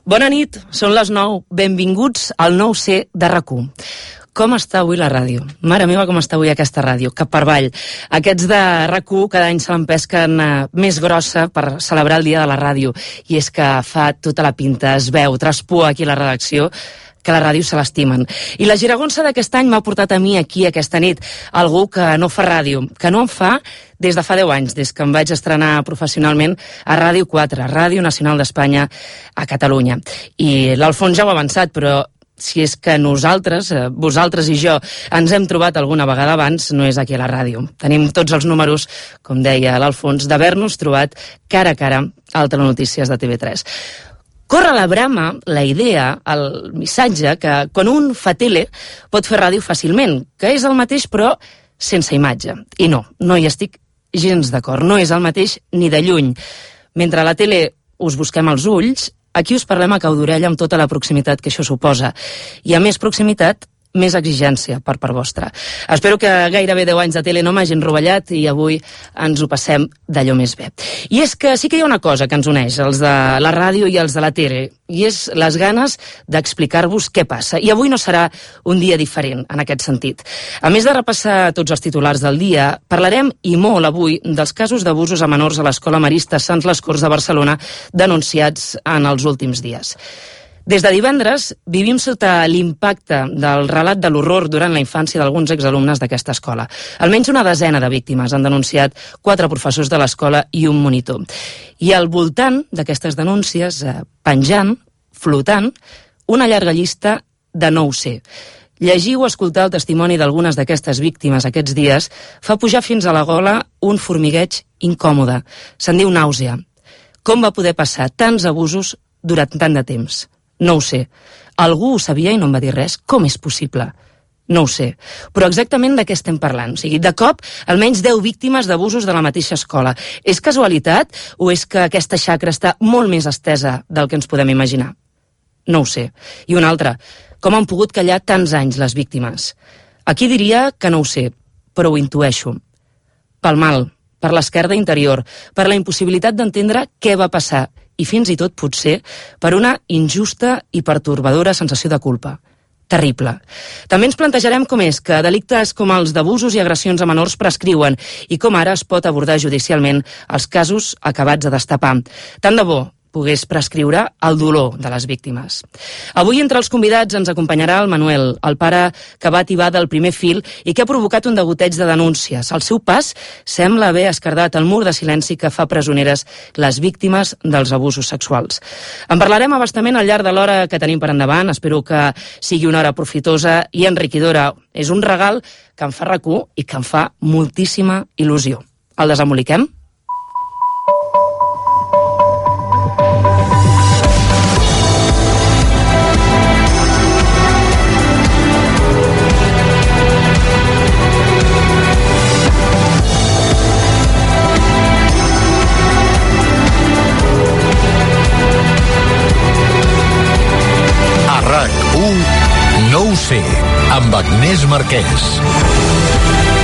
Bona nit, són les 9. Benvinguts al 9C de RAC1. Com està avui la ràdio? Mare meva, com està avui aquesta ràdio? Cap per avall. Aquests de RAC1 cada any se l'empesquen més grossa per celebrar el dia de la ràdio. I és que fa tota la pinta, es veu, traspua aquí a la redacció, que la ràdio se l'estimen. I la giragonsa d'aquest any m'ha portat a mi aquí aquesta nit algú que no fa ràdio, que no en fa des de fa 10 anys, des que em vaig estrenar professionalment a Ràdio 4, Ràdio Nacional d'Espanya a Catalunya. I l'Alfons ja ho ha avançat, però si és que nosaltres, vosaltres i jo, ens hem trobat alguna vegada abans, no és aquí a la ràdio. Tenim tots els números, com deia l'Alfons, d'haver-nos trobat cara a cara al Telenotícies de TV3. Corre la brama, la idea, el missatge, que quan un fa tele pot fer ràdio fàcilment, que és el mateix però sense imatge. I no hi estic gens d'acord, no és el mateix ni de lluny. Mentre a la tele us busquem els ulls, aquí us parlem a cau d'orella amb tota la proximitat que això suposa. I a més proximitat, més exigència per part vostra. Espero que gairebé 10 anys de tele no m'hagin rovellat i avui ens ho passem d'allò més bé. I és que sí que hi ha una cosa que ens uneix, els de la ràdio i els de la tele, i és les ganes d'explicar-vos què passa. I avui no serà un dia diferent en aquest sentit. A més de repassar tots els titulars del dia, parlarem i molt avui dels casos d'abusos a menors a l'Escola Marista Sants les Corts de Barcelona denunciats en els últims dies. Des de divendres vivim sota l'impacte del relat de l'horror durant la infància d'alguns exalumnes d'aquesta escola. Almenys una desena de víctimes han denunciat 4 professors de l'escola i un monitor. I al voltant d'aquestes denúncies, penjant, flotant, una llarga llista de 9C. Llegir o escoltar el testimoni d'algunes d'aquestes víctimes aquests dies fa pujar fins a la gola un formigueig incòmode. Se'n diu nàusea. Com va poder passar tants abusos durant tant de temps? No ho sé. Algú ho sabia i no em va dir res? Com és possible? No ho sé. Però exactament de què estem parlant? O sigui, de cop, almenys 10 víctimes d'abusos de la mateixa escola. És casualitat o és que aquesta xacra està molt més estesa del que ens podem imaginar? No ho sé. I una altra. Com han pogut callar tants anys les víctimes? Aquí diria que no ho sé, però ho intueixo. Pel mal, per l'esquerda interior, per la impossibilitat d'entendre què va passar i fins i tot, potser, per una injusta i pertorbadora sensació de culpa. Terrible. També ens plantejarem com és que delictes com els d'abusos i agressions a menors prescriuen i com ara es pot abordar judicialment els casos acabats de destapar. Tant de bo pogués prescriure el dolor de les víctimes. Avui entre els convidats ens acompanyarà el Manuel, el pare que va atibar del primer fil i que ha provocat un degoteig de denúncies. Al seu pas sembla haver esquerdat el mur de silenci que fa presoneres les víctimes dels abusos sexuals. En parlarem a bastament al llarg de l'hora que tenim per endavant. Espero que sigui una hora profitosa i enriquidora. És un regal que em fa RAC1 i que em fa moltíssima il·lusió. El desemboliquem? RAC1 9C amb Agnès Marquès.